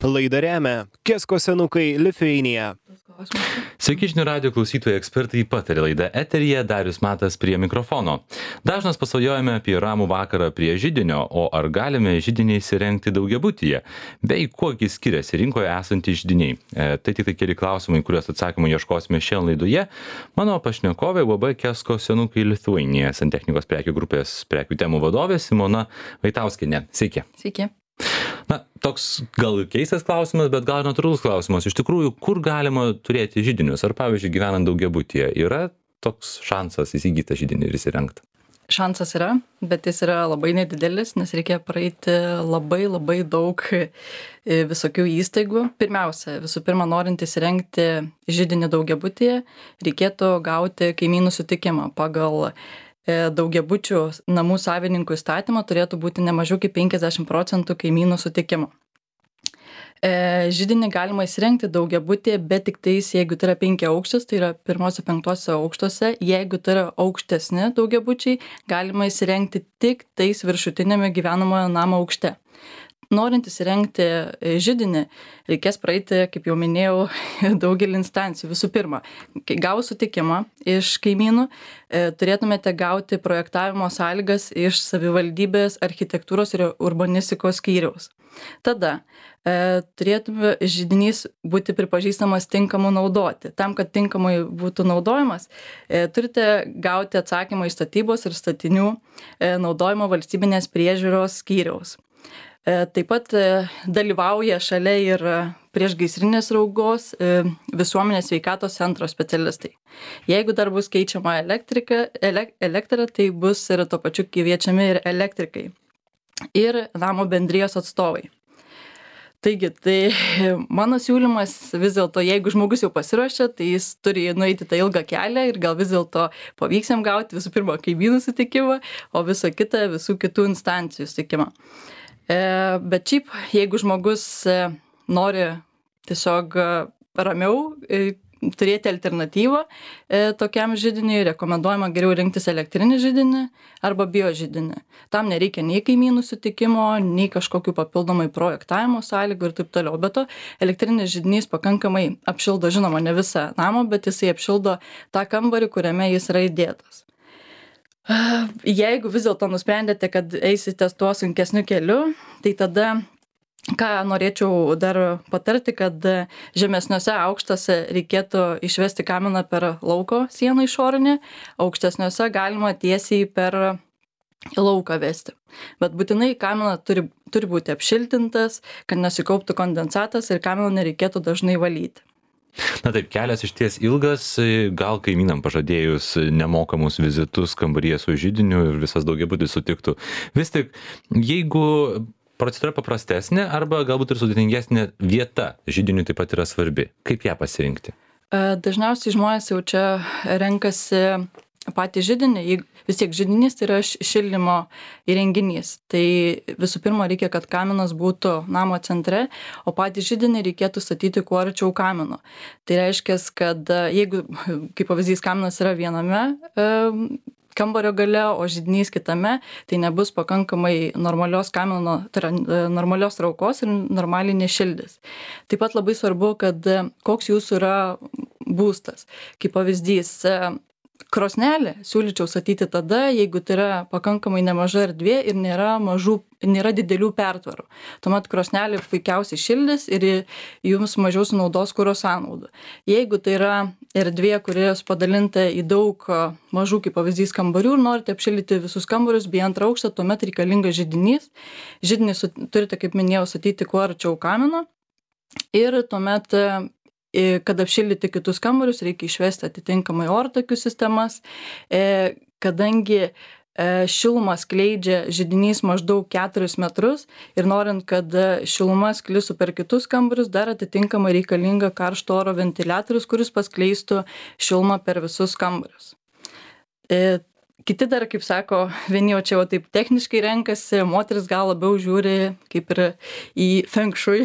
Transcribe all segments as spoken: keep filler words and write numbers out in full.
Laidą remia Kesko senukai Lithuania. Sveiki žinių radijo klausytojai, ekspertai pataria laida eteryje, Darius Matas prie mikrofono. Dažnas pasvajojame apie ramų vakarą prie židinio, o ar galime židinį įsirengti daugiabutyje? Bei kuogi skiriasi rinkoje esantys židiniai? E, tai tik tai keli klausimai, kuriuos atsakymų ieškosime šiandien laidoje. Mano pašnekovė U A B Kesko senukai Lithuania, santechnikos prekių grupės prekių temų vadovė Simona Vaitauskienė. Sveiki. Sveiki. Na, toks gal keistas klausimas, bet gal natūralus klausimas. Iš tikrųjų, kur galima turėti židinius? Ar, pavyzdžiui, gyvenant daugiabutyje, yra toks šansas įsigyti židinį ir įsirengti? Šansas yra, bet jis yra labai nedidelis, nes reikia praeiti labai labai daug visokių įstaigų. Pirmiausia, visų pirma, norint įsirengti židinį daugiabutyje, reikėtų gauti kaimynų sutikimą. Pagal daugiabučių namų savininkų įstatymą turėtų būti ne mažiau kaip penkiasdešimt procentų kaimynų sutikimo. E, židinį galima įsirengti daugiabutyje, bet tik tais, jeigu tai yra penki aukštas, tai yra pirmose penktose aukštuose, jeigu tai yra aukštesni daugiabučiai, galima įsirengti tik tais viršutinėme gyvenamojo namo aukšte. Norint įsirengti židinį, reikės praeiti, kaip jau minėjau, daugelį instancijų. Visų pirma, gavus sutikimą iš kaimynų, turėtumėte gauti projektavimo sąlygas iš savivaldybės architektūros ir urbanistikos skyriaus. Tada e, turėtume židinys būti pripažįstamas tinkamu naudoti. Tam, kad tinkamai būtų naudojamas, e, turite gauti atsakymą iš statybos ir statinių e, naudojimo valstybinės priežiūros skyriaus. Taip pat dalyvauja šalia ir priešgaisrinės saugos visuomenės sveikatos centro specialistai. Jeigu dar bus keičiama elektrika, elektra, tai bus ir tuo pačiu kviečiami ir elektrikai ir namo bendrijos atstovai. Taigi, tai mano siūlymas vis dėlto, jeigu žmogus jau pasiruošia, tai jis turi nueiti tą ilgą kelią ir gal vis dėlto pavyks jam gauti visų pirma kaimynų sutikimą, o visą kitą visų kitų instancijų sutikimą. Bet šiaip, jeigu žmogus nori tiesiog ramiau turėti alternatyvą tokiam židiniui, rekomenduojama geriau rinktis elektrinį židinį arba biožidinį. Tam nereikia nei kaimynų sutikimo, nei kažkokių papildomai projektavimo sąlygų ir taip toliau. Be to, elektrinis židinys pakankamai apšildo, žinoma, ne visą namą, bet jisai apšildo tą kambarį, kuriame jis yra įdėtas. Jeigu vis dėlto nusprendėte, kad eisite tuo sunkesniu keliu, tai tada, ką norėčiau dar patarti, kad žemesniuose aukštuose reikėtų išvesti kaminą per lauko sieną išorinę, aukštesniuose galima tiesiai per lauką vesti. Bet būtinai kamina turi, turi būti apšiltintas, kad nesikauptų kondensatas ir kaminą nereikėtų dažnai valyti. Na taip, kelias išties ilgas, gal kaimynam pažadėjus nemokamus vizitus kambaryje su židiniu ir visas daugiabutis sutiktų. Vis tik, jeigu procedūra paprastesnė arba galbūt ir sudėtingesnė vieta židiniui taip pat yra svarbi, kaip ją pasirinkti? Dažniausiai žmonės jau čia renkasi patį židinį, vis tiek židinys tai yra šildymo įrenginys. Tai visų pirma reikia, kad kaminas būtų namo centre, o patį židinį reikėtų statyti kuo arčiau kamino. Tai reiškia, kad jeigu, kaip pavyzdys, kaminas yra viename e, kambario gale, o židinys kitame, tai nebus pakankamai normalios kamino, tai yra normalios traukos ir normaliai nešildys. Taip pat labai svarbu, kad koks jūsų yra būstas. Kaip pavyzdys, krosnelę siūlyčiau statyti tada, jeigu tai yra pakankamai nemaža erdvė ir nėra, mažų, nėra didelių pertvarų. Tuomet krosnelė puikiausiai šildys ir jums mažiau sunaudos kuro sąnaudų. Jeigu tai yra erdvė, kuris padalinta į daug mažų, kaip pavyzdys, kambarių ir norite apšildyti visus kambarius bei antrą aukštą, tuomet reikalingas židinys. Židinį turite, kaip minėjau, statyti kuo arčiau kamino ir tuomet kad apšildyti kitus kambarius, reikia išvesti atitinkamai ortakių sistemas, kadangi šilumą skleidžia židinys maždaug keturis metrus ir norint, kad šiluma sklistų per kitus kambarius, dar atitinkamai reikalinga karšto oro ventiliatorius, kuris paskleistų šilumą per visus kambarius. Kiti dar, kaip sako, vieni jau čia jau taip techniškai renkasi, moteris gal labiau žiūri kaip ir į feng shui,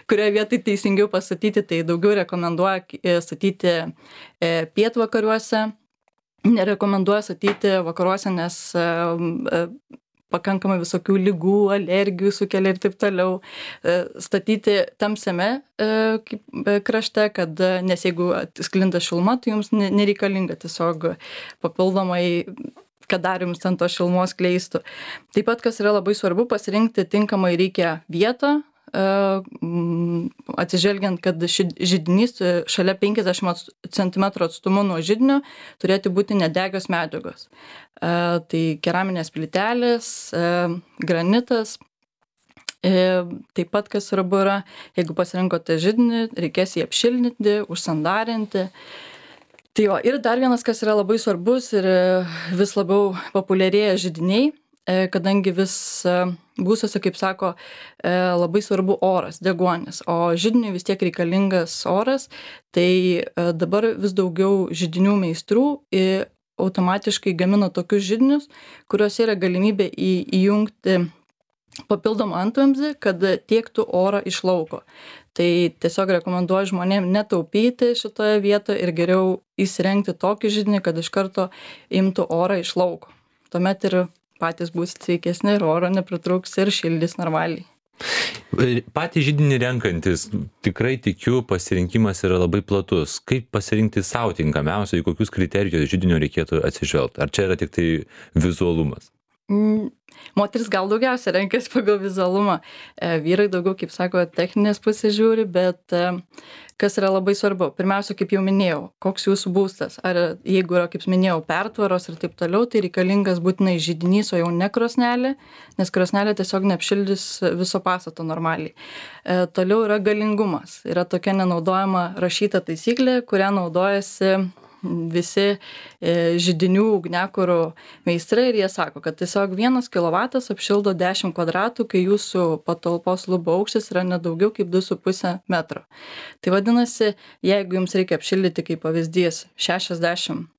kurioje vietoj teisingiau pastatyti, tai daugiau rekomenduoja statyti pietvakariuose, nerekomenduoja statyti vakaruose, nes pakankamai visokių ligų, alergijų sukelia ir taip toliau. Statyti tamsiame krašte, kad, nes jeigu sklinda šiluma, tai jums nereikalinga tiesiog papildomai, kad dar jums ten tos šilumos kleistų. Taip pat, kas yra labai svarbu, pasirinkti tinkamai reikia vietą, atsižvelgiant, kad židinys šalia penkiasdešimt centimetrų atstumu nuo židinio turėtų būti nedegios medžiagos. Tai keraminės plytelės, granitas. Taip pat, kas svarbu yra, jeigu pasirinkote židinį, reikės jį apšiltinti, užsandarinti. Tai jo, ir dar vienas, kas yra labai svarbus ir vis labiau populiarėja židiniai, kadangi vis būstuose, kaip sako, labai svarbu oras, deguonis, o židiniui vis tiek reikalingas oras, tai dabar vis daugiau židinių meistrų automatiškai gamina tokius židinius, kuriuose yra galimybė įjungti papildomą antvamzdį, kad tiektų orą iš lauko. Tai tiesiog rekomenduoju žmonėm netaupyti šitoje vietoje ir geriau įsirengti tokį židinį, kad iš karto imtų orą iš lauko. Tuomet ir patys bus sveikesni ir oro nepritrūks ir šildys normaliai. Patį židinį renkantis, tikrai tikiu, pasirinkimas yra labai platus. Kaip pasirinkti savo tinkamiausią, į kokius kriterijus židinio reikėtų atsižvelgti? Ar čia yra tik tai vizualumas? Mm, moteris gal daugiausia renkasi pagal vizualumą. E, vyrai daugiau, kaip sako, techninės pusės žiūri, bet e, kas yra labai svarbu. Pirmiausia, kaip jau minėjau, koks jūsų būstas. Ar jeigu yra, kaip minėjau, pertvaros ir taip toliau, tai reikalingas būtinai židinys, o jau ne krosnelė, nes krosnelė tiesiog neapšildys viso pastato normaliai. E, toliau yra galingumas. Yra tokia nenaudojama rašyta taisyklė, kurią naudojasi visi židinių ugniakurų meistrai ir jie sako, kad tiesiog vienas kilovatas apšildo dešimt kvadratų, kai jūsų patalpos lubų aukštis yra nedaugiau kaip du su puse metro. Tai vadinasi, jeigu jums reikia apšildyti kaip pavyzdys šešiasdešimt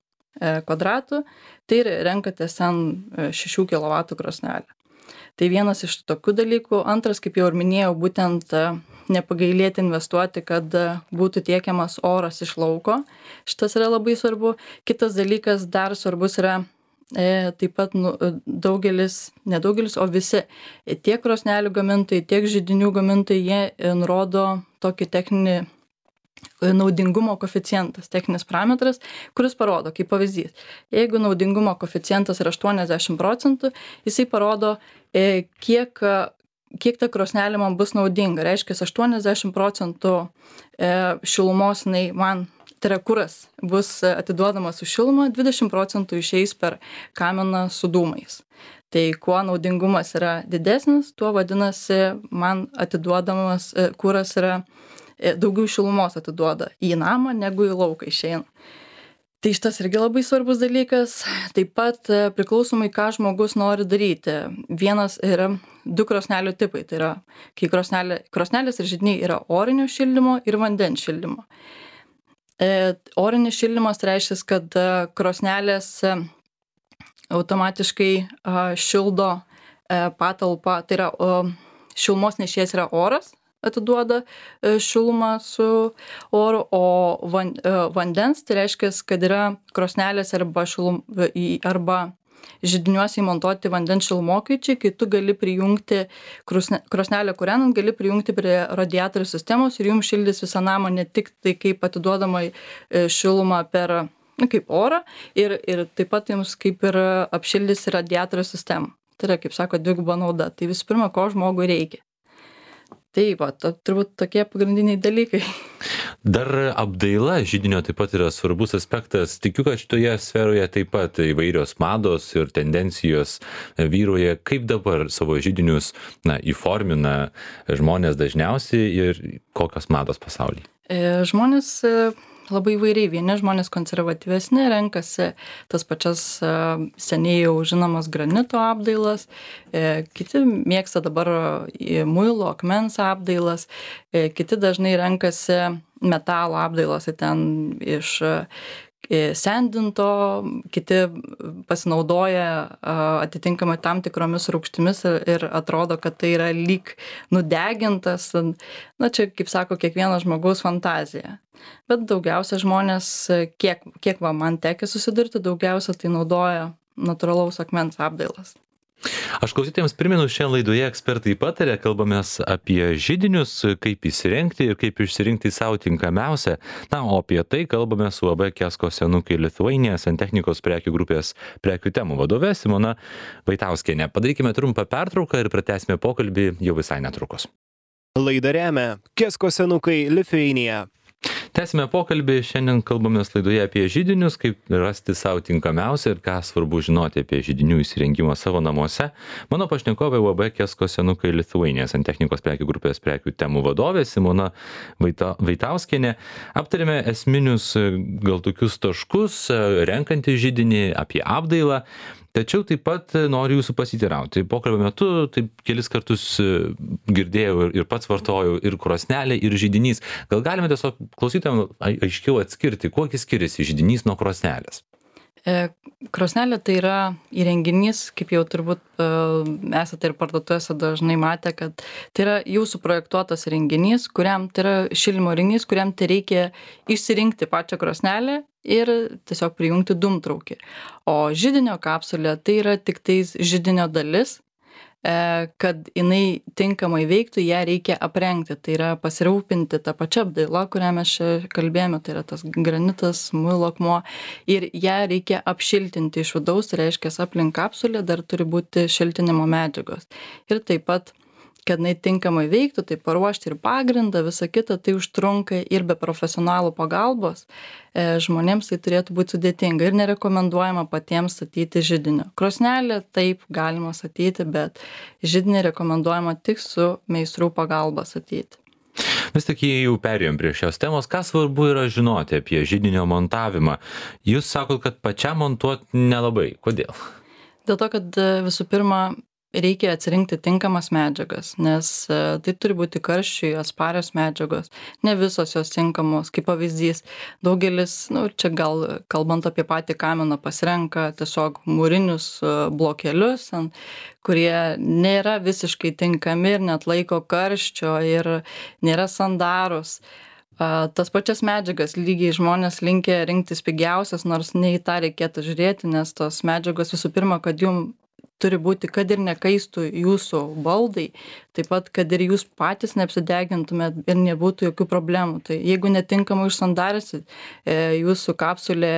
kvadratų, tai renkatės ten šešių kilovatų krosnelę. Tai vienas iš tokių dalykų. Antras, kaip jau ir minėjau, būtent nepagailėti investuoti, kad būtų tiekiamas oras iš lauko. Šitas yra labai svarbu. Kitas dalykas dar svarbus yra e, taip pat nu, daugelis, nedaugelis, o visi tiek krosnelių gamintojai, tiek židinių gamintojai, jie nurodo tokį techninį naudingumo koeficientas, techninis parametras, kuris parodo, kaip pavyzdys. Jeigu naudingumo koeficientas yra aštuoniasdešimt procentų, jisai parodo, e, kiek kiek ta krosnelė man bus naudinga. Reiškia, aštuoniasdešimt procentų šilumos nei man, tai yra kuras, bus atiduodamas su šiluma, dvidešimt procentų išeis per kaminą su dūmais. Tai kuo naudingumas yra didesnis, tuo vadinasi, man atiduodamas kuras yra daugiau šilumos atiduoda į namą, negu į lauką išeina. Tai šitas irgi labai svarbus dalykas. Taip pat priklausomai, ką žmogus nori daryti. Vienas yra du krosnelių tipai. Tai yra, kai krosnelė, krosnelės ir židiniai yra orinio šildymo ir vandens šildymo. E, orinis šildymas reiškia, kad krosnelės automatiškai a, šildo a, patalpą. Tai yra, o, šilumos nešėjas yra oras, atiduoda šilumą su oru, o van, vandens, tai reiškia, kad yra krosnelės arba, šilum, arba židiniuose įmontuoti vandens šilumokaičiai, kai tu gali prijungti krosne, krosnelę kūrenant, gali prijungti prie radiatorių sistemos ir jums šildys visą namą ne tik tai kaip atiduodama šilumą per, nu, kaip orą, ir, ir taip pat jums kaip ir apšildys radiatorių sistemą. Tai yra, kaip sako, dviguba nauda. Tai visų pirma, ko žmogui reikia. Taip, va, to, turbūt tokie pagrindiniai dalykai. Dar apdaila židinio taip pat yra svarbus aspektas. Tikiu, kad šitoje sferoje taip pat įvairios mados ir tendencijos vyroja. Kaip dabar savo židinius na, įformina žmonės dažniausiai ir kokios mados pasaulyje? E, žmonės labai įvairiai. Vieni žmonės konservatyvesni renkasi tas pačias seniai jau žinomas granito apdailas, kiti mėgsta dabar muilo, akmens apdailas, kiti dažnai renkasi metalo apdailas, ten iš sendinto, kiti pasinaudoja atitinkamai tam tikromis rūgštimis ir, ir atrodo, kad tai yra lyg nudegintas. Na, čia, kaip sako, kiekvieno žmogaus fantazija. Bet daugiausia žmonės, kiek, kiek va man tekia susidurti, daugiausia tai naudoja natūralaus akmens apdailas. Aš klausytėjams primenu, šiandien laidoje ekspertai patarė, kalbamės apie židinius, kaip įsirengti ir kaip išsirinkti savo tinkamiausią. Na, o apie tai kalbame su A B Kesko senukai Lithuania Santechnikos prekių grupės prekių temų vadove Simona Vaitauskienė. Padarykime trumpą pertrauką ir pratęsime pokalbį jau visai netrukus. Laidą remia Kesko senukai Lithuania. Tęsime pokalbį, šiandien kalbamės laidoje apie židinius, kaip rasti savo tinkamiausią ir ką svarbu žinoti apie židinių įsirengimą savo namuose. Mano pašnekovė A B Kesko senukai Lithuania Santechnikos prekių grupės prekių temų vadovė Simona Vaita, Vaitauskienė. Aptarėme esminius gal tokius taškus, renkantį židinį, apie apdailą. Tačiau taip pat noriu jūsų pasiteirauti. Pokalbio metu taip kelis kartus girdėjau ir pats vartojau ir krosnelė, ir židinys. Gal galime tiesiog klausytojams aiškiau atskirti, kuo skiriasi židinys nuo krosnelės? Krosnelė tai yra įrenginys, kaip jau turbūt esate ir parduotuvėse dažnai matę, kad tai yra jūsų projektuotas įrenginys, kuriam tai yra šildymo įrenginys, kuriam tai reikia išsirinkti pačią krosnelę ir tiesiog prijungti dūmtraukį. O židinio kapsulė tai yra tik tais židinio dalis, kad jinai tinkamai veiktų, ją reikia aprengti. Tai yra pasirūpinti tą pačią apdailą, kurią mes čia kalbėjome, tai yra tas granitas, muilo akmuo, ir ją reikia apšiltinti iš vidaus, tai reiškia, aplink kapsulę dar turi būti šiltinimo medžiagos. Ir taip pat, kad jinai tinkamai veiktų, tai paruošti ir pagrindą, visą kitą, tai užtrunka ir be profesionalų pagalbos e, žmonėms tai turėtų būti sudėtinga ir nerekomenduojama patiems statyti židinio. Krosnelę taip galima statyti, bet židinį rekomenduojama tik su meistrų pagalba statyti. Vis tik jei jau perėjom prie šios temos, ką svarbu yra žinoti apie židinio montavimą? Jūs sakot, kad pačiam montuoti nelabai. Kodėl? Dėl to, kad visų pirma, reikia atsirinkti tinkamas medžiagas, nes tai turi būti karščiui atsparios medžiagos. Ne visos jos tinkamos, kaip pavyzdys. Daugelis, nu, čia gal kalbant apie patį kaminą, pasirenka tiesiog mūrinius blokelius, kurie nėra visiškai tinkami ir net laiko karščio ir nėra sandarus. Tas pačias medžiagas lygiai žmonės linkę rinktis pigiausias, nors ne į tą reikėtų žiūrėti, nes tos medžiagos visų pirma, kad jum turi būti, kad ir nekaistų jūsų baldai, taip pat, kad ir jūs patys neapsidegintumėt ir nebūtų jokių problemų. Tai jeigu netinkamai išsandarysit, jūsų kapsulė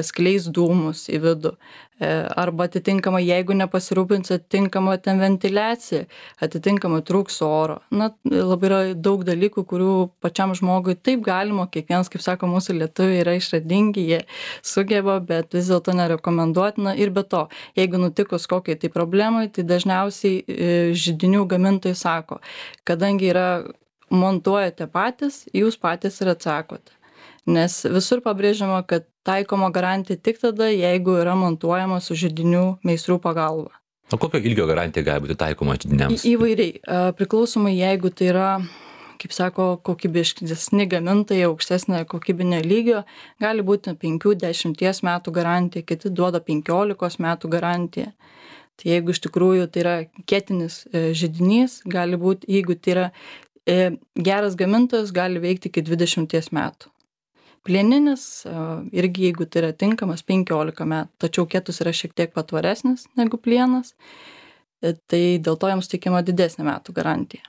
skleis dūmus į vidų. Arba atitinkamai, jeigu nepasirūpinsit tinkamą ten ventiliaciją, atitinkamai trūks oro. Na, labai yra daug dalykų, kurių pačiam žmogui taip galima, kiekvienas, kaip sako, mūsų lietuviai yra išradingi, jie sugeba, bet vis dėlto nerekomenduotina. Ir be to, jeigu nutikus kokiai tai problemai, tai dažniausiai židinių gamintojai sako, kadangi yra montuojate patys, jūs patys ir atsakote. Nes visur pabrėžiama, kad taikoma garantija tik tada, jeigu yra montuojama su židinių meistrų pagalba. O kokio ilgio garantija gali būti taikoma židiniams? Į, įvairiai. Priklausomai, jeigu tai yra, kaip sako, kokybiškesni gamintojai, aukštesnė kokybinė lygio, gali būti penkių dešimties metų garantija, kiti duoda penkiolikos metų garantiją. Tai jeigu iš tikrųjų tai yra kietinis židinys, gali būti, jeigu tai yra geras gamintojas, gali veikti iki dvidešimties metų. Plieninis, irgi jeigu tai yra tinkamas, penkiolika metų, tačiau kietus yra šiek tiek patvaresnis negu plienas, tai dėl to jiems tikima didesnė metų garantija.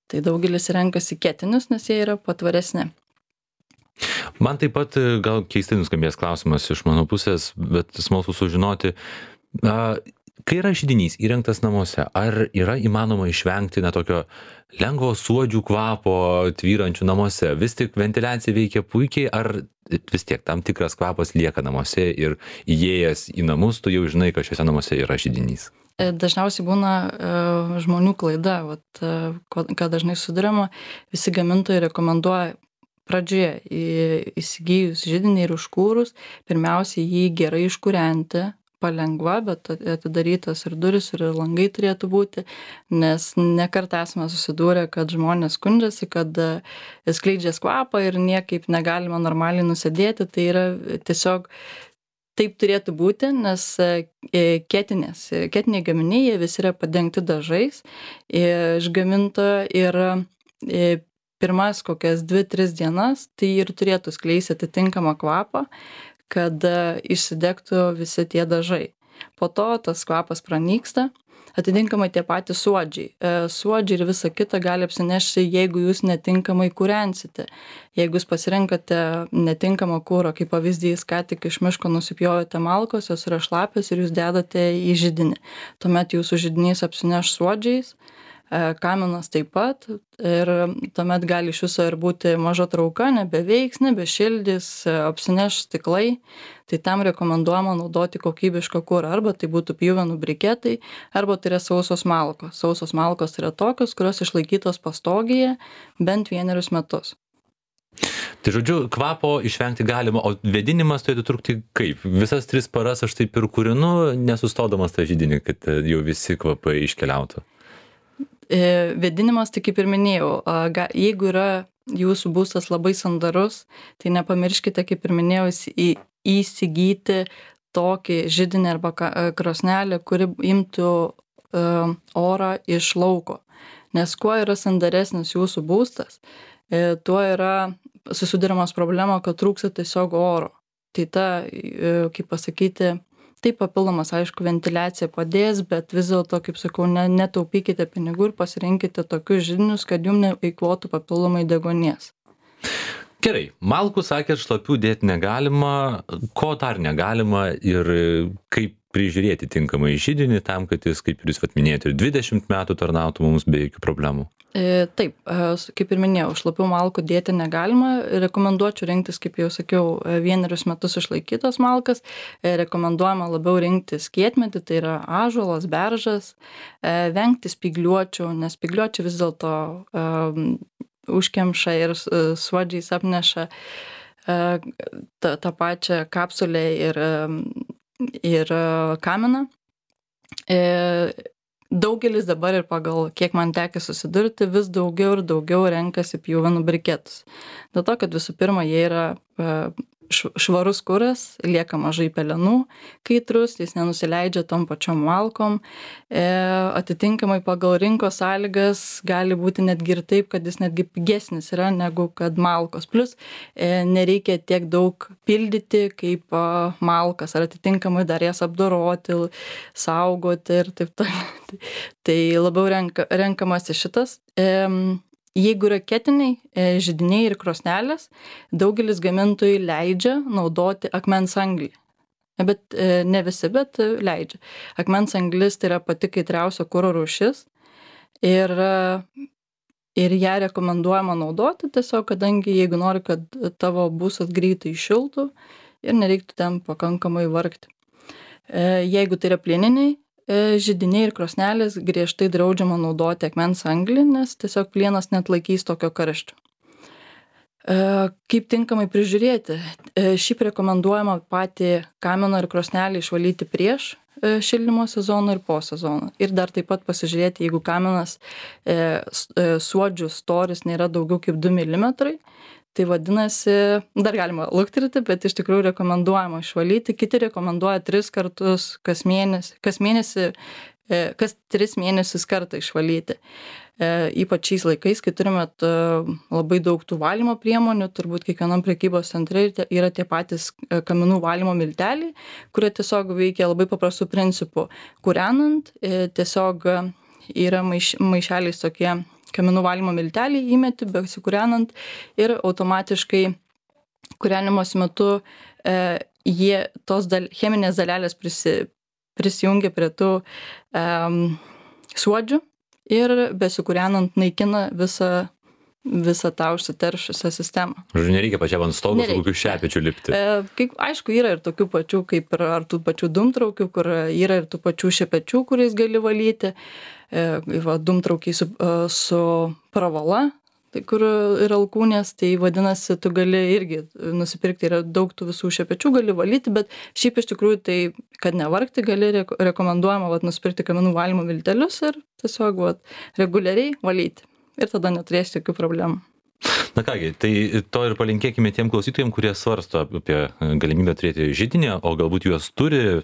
Tai daugelis renkasi kietinius, nes jie yra patvaresni. Man taip pat gal keistai nuskambės klausimas iš mano pusės, bet smalsu sužinoti, kai yra židinys įrengtas namuose, ar yra įmanoma išvengti na tokio lengvo suodžių kvapo tvyrančių namuose? Vis tik ventiliacija veikia puikiai, ar vis tiek tam tikras kvapas lieka namuose ir įėjęs į namus, tu jau žinai, kad šiuose namuose yra židinys? Dažniausiai būna uh, žmonių klaida, vat, uh, ką dažnai sudarama, visi gamintojai rekomenduoja pradžioje įsigijus židinį ir užkūrus, pirmiausiai jį gerai iškūrenti, palengva, bet atidarytas ir duris, ir langai turėtų būti, nes nekart esame susidūrę, kad žmonės skundžiasi, kad skleidžia kvapą ir niekaip negalima normaliai nusėdėti. Tai yra tiesiog taip turėtų būti, nes kietinės, kietiniai gaminiai, jie visi yra padengti dažais iš gamintojo ir pirmas kokias dvi tris dienas, tai ir turėtų skleisti atitinkamą kvapą, kad išsidegtų visi tie dažai. Po to tas kvapas pranyksta. Atitinkamai tie patys suodžiai. E, suodžiai ir visa kita gali apsinešti, jeigu jūs netinkamai kūrensite. Jeigu jūs pasirenkate netinkamą kūrą, kaip pavyzdys, ką tik iš miško nusipjovėte malkos, jos yra šlapios ir jūs dedate į židinį. Tuomet jūsų židinys apsineš suodžiais, e, kaminas taip pat ir tuomet gali iš viso ir būti maža trauka, nebeveiks, nebešildys, e, apsineš stiklai. Tai tam rekomenduojama naudoti kokybišką kurą. Arba tai būtų pjuvenų briketai, arba tai yra sausos malkos. Sausos malkos yra tokios, kurios išlaikytos pastogėje bent vienerius metus. Tai žodžiu, kvapo išvengti galima, o vėdinimas turėtų trukti kaip? Visas tris paras aš taip ir kūrinu, nesustodamas tą židinį, kad jau visi kvapai iškeliautų. E, vėdinimas, tai kaip ir minėjau, a, ga, jeigu yra jūsų būstas labai sandarus, tai nepamirškite, kaip ir minėjau, į įsigyti tokį židinį arba krosnelę, kuri imtų uh, orą iš lauko. Nes kuo yra sandaresnis jūsų būstas, e, tuo yra susiduriamas problema, kad trūksta tiesiog oro. Tai ta, e, kaip pasakyti, taip papildomas, aišku, ventiliacija padės, bet vis dėlto, kaip sakau, ne, netaupykite pinigų ir pasirinkite tokius židinius, kad jums neeikvotų papildomai deguonies. Gerai, malkų sakėt, šlapių dėti negalima, ko dar negalima ir kaip prižiūrėti tinkamai židinį tam, kad jis, kaip jūs vat minėjote, ir dvidešimt metų tarnautų mums be jokių problemų. E, taip, kaip ir minėjau, šlapių malkų dėti negalima. Rekomenduočiau rinktis, kaip jau sakiau, vienerius metus išlaikytas malkas. E, rekomenduojama labiau rinktis kietmetį, tai yra ąžuolas, beržas, e, vengti spygliuočių, nes spygliuočiai vis dėlto e, užkemša ir suodžiais apneša tą, tą pačią kapsulę ir, ir kaminą. Daugelis dabar ir pagal, kiek man tekia susidurti, vis daugiau ir daugiau renkasi pjuvenų briketus. Dėl to, kad visų pirma, jie yra švarus kuras, lieka mažai pelenų, kaitrus, jis nenusileidžia tom pačiom malkom. E, atitinkamai pagal rinkos sąlygas gali būti netgi ir taip, kad jis netgi pigesnis yra negu kad malkos. Plus e, nereikia tiek daug pildyti kaip a, malkas, ar atitinkamai dar jas apdoroti, saugoti ir taip toliau. Tai labiau renka, renkamasi šitas. E, Jeigu yra ketiniai židiniai ir krosnelės, daugelis gamintojų leidžia naudoti akmens anglį. Bet ne visi, bet leidžia. Akmens anglis tai yra pati kaitriausia kuro rūšis ir, ir ją rekomenduojama naudoti tiesiog, kadangi jeigu nori, kad tavo būstas greitai šiltų ir nereiktų ten pakankamai vargti. Jeigu tai yra plieniniai židiniai ir krosnelės, griežtai draudžiama naudoti akmens anglį, nes tiesiog plienas neatlaikys tokio karščio. Kaip tinkamai prižiūrėti? Šiaip rekomenduojama patį kaminą ir krosnelį išvalyti prieš šildymo sezoną ir po sezoną. Ir dar taip pat pasižiūrėti, jeigu kaminas suodžių storis nėra daugiau kaip du milimetrai, tai vadinasi, dar galima lukterti, bet iš tikrųjų rekomenduojama išvalyti. Kiti rekomenduoja tris kartus kas mėnesį, kas mėnesį, kas tris mėnesius kartą išvalyti. Ypač šiais laikais, kai turime labai daug tų valymo priemonių, turbūt kiekvienam prekybos centre yra tie patys kaminų valymo milteliai, kurie tiesiog veikia labai paprastų principų. Kūrenant, tiesiog yra maiš, maišeliais tokie kaminų valymo miltelį įmeti, besikūrenant ir automatiškai kūrenimos metu e, jie, tos dal, cheminės dalelės prisi, prisijungia prie tų e, suodžių ir besikūrenant naikina visą, visą tą užsiteršusią sistemą. Žodžiu, nereikia pačiam ant stogo su kokiu šepečiu lipti. E, kaip, aišku, yra ir tokių pačių, kaip ir ar tų pačių dūmtraukių, kur yra ir tų pačių šepečių, kuriais gali valyti. Va, dūmtraukiai su, su pravala, tai kur yra alkūnės, tai vadinasi, tu gali irgi nusipirkti, yra daug tų visų šepečių, gali valyti, bet šiaip iš tikrųjų tai, kad nevargti, gali rekomenduojama va, nusipirkti kaminų valymo miltelius ir tiesiog va, reguliariai valyti. Ir tada neturėsi jokių problemų. Na kągi, tai to ir palinkėkime tiem klausytojams, kurie svarsto apie galimybę turėti židinį, o galbūt juos turi.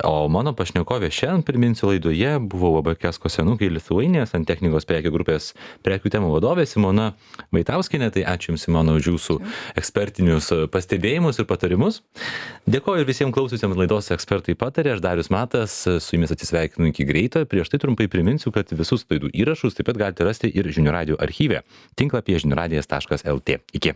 O mano pašnekovė šiandien, priminsiu, laidoje buvo U A B Kesko senukai Lithuania Santechnikos prekių grupės prekių temų vadovė Simona Vaitauskienė. Tai ačiū Jums, Simona, už Jūsų ekspertinius pastebėjimus ir patarimus. Dėkoju ir visiems klausiusiems laidos Ekspertai patarė. Aš Darius Matas, su Jumis atsisveikinu iki greito. Prieš tai trumpai priminsiu, kad visus laidų įrašus taip pat galite rasti ir Žinių radijo archyve tinklapyje žinių radijas taškas lt. Iki.